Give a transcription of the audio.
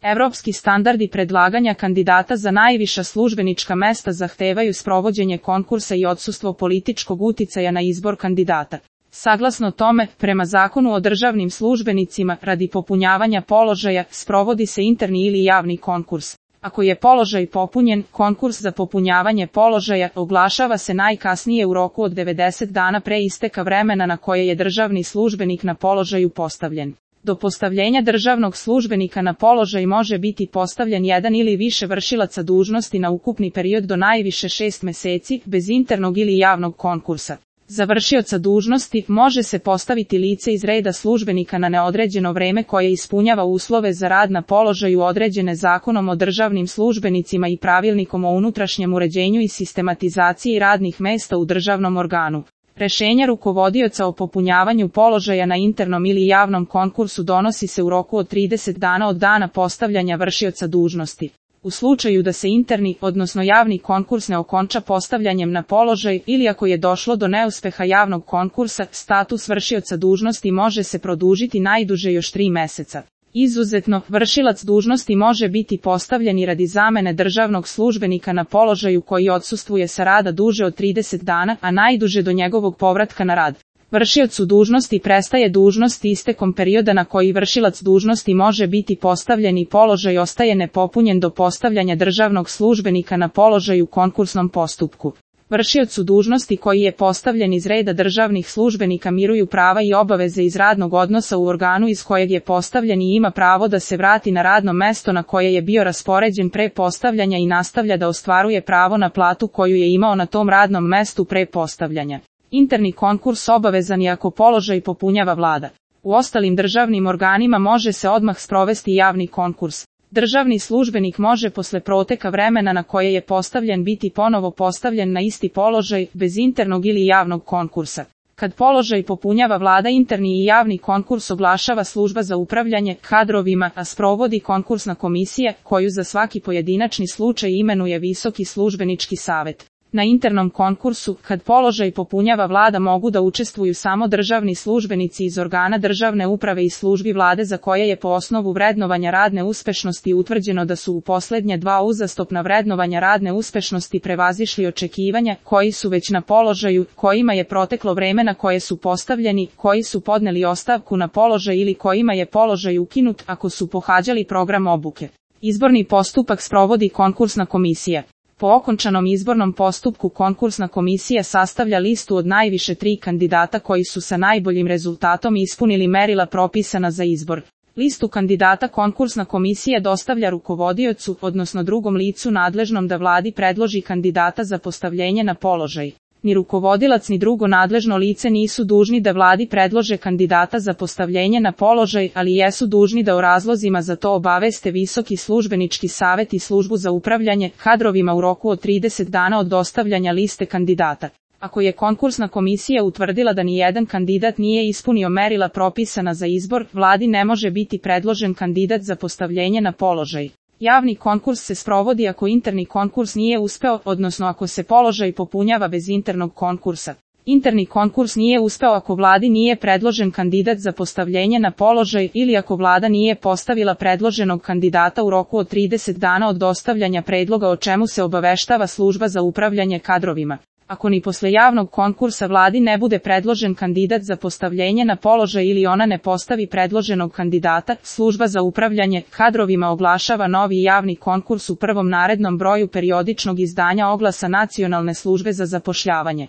Evropski standardi predlaganja kandidata za najviša službenička mesta zahtevaju sprovođenje konkursa i odsustvo političkog uticaja na izbor kandidata. Saglasno tome, prema Zakonu o državnim službenicima, radi popunjavanja položaja, sprovodi se interni ili javni konkurs. Ako je položaj popunjen, konkurs za popunjavanje položaja oglašava se najkasnije u roku od 90 dana pre isteka vremena na koje je državni službenik na položaju postavljen. Do postavljenja državnog službenika na položaj može biti postavljen jedan ili više vršilaca dužnosti na ukupni period do najviše 6 meseci, bez internog ili javnog konkursa. Za vršioca dužnosti može se postaviti lice iz reda službenika na neodređeno vreme koje ispunjava uslove za rad na položaju određene Zakonom o državnim službenicima i Pravilnikom o unutrašnjem uređenju i sistematizaciji radnih mesta u državnom organu. Rešenje rukovodioca o popunjavanju položaja na internom ili javnom konkursu donosi se u roku od 30 dana od dana postavljanja vršioca dužnosti. U slučaju da se interni, odnosno javni konkurs ne okonča postavljanjem na položaj ili ako je došlo do neuspeha javnog konkursa, status vršioca dužnosti može se produžiti najduže još 3 meseca. Izuzetno, vršilac dužnosti može biti postavljen i radi zamene državnog službenika na položaju koji odsustvuje sa rada duže od 30 dana, a najduže do njegovog povratka na rad. Vršiocu dužnosti prestaje dužnost istekom perioda na koji vršilac dužnosti može biti postavljen i položaj ostaje nepopunjen do postavljanja državnog službenika na položaj u konkursnom postupku. Vršiocu dužnosti koji je postavljen iz reda državnih službenika miruju prava i obaveze iz radnog odnosa u organu iz kojeg je postavljen i ima pravo da se vrati na radno mesto na koje je bio raspoređen pre postavljanja i nastavlja da ostvaruje pravo na platu koju je imao na tom radnom mestu pre postavljanja. Interni konkurs obavezan je ako položaj popunjava vlada. U ostalim državnim organima može se odmah sprovesti javni konkurs. Državni službenik može posle proteka vremena na koje je postavljen biti ponovo postavljen na isti položaj, bez internog ili javnog konkursa. Kad položaj popunjava vlada, interni i javni konkurs oglašava služba za upravljanje kadrovima, a sprovodi konkursna komisija, koju za svaki pojedinačni slučaj imenuje Visoki službenički savet. Na internom konkursu, kad položaj popunjava vlada, mogu da učestvuju samo državni službenici iz organa državne uprave i službi vlade za koje je po osnovu vrednovanja radne uspešnosti utvrđeno da su u poslednja 2 uzastopna vrednovanja radne uspešnosti prevazišli očekivanja, koji su već na položaju, kojima je proteklo vreme na koje su postavljeni, koji su podneli ostavku na položaj ili kojima je položaj ukinut ako su pohađali program obuke. Izborni postupak sprovodi konkursna komisija. Po okončanom izbornom postupku konkursna komisija sastavlja listu od najviše 3 kandidata koji su sa najboljim rezultatom ispunili merila propisana za izbor. Listu kandidata konkursna komisija dostavlja rukovodiocu, odnosno drugom licu nadležnom da vladi predloži kandidata za postavljenje na položaj. Ni rukovodilac ni drugo nadležno lice nisu dužni da vladi predlože kandidata za postavljenje na položaj, ali jesu dužni da o razlozima za to obaveste Visoki službenički savet i službu za upravljanje kadrovima u roku od 30 dana od dostavljanja liste kandidata. Ako je konkursna komisija utvrdila da ni jedan kandidat nije ispunio merila propisana za izbor, vladi ne može biti predložen kandidat za postavljenje na položaj. Javni konkurs se sprovodi ako interni konkurs nije uspeo, odnosno ako se položaj popunjava bez internog konkursa. Interni konkurs nije uspeo ako vladi nije predložen kandidat za postavljenje na položaj ili ako vlada nije postavila predloženog kandidata u roku od 30 dana od dostavljanja predloga o čemu se obaveštava služba za upravljanje kadrovima. Ako ni posle javnog konkursa vladi ne bude predložen kandidat za postavljenje na položaj ili ona ne postavi predloženog kandidata, služba za upravljanje kadrovima oglašava novi javni konkurs u prvom narednom broju periodičnog izdanja oglasa Nacionalne službe za zapošljavanje.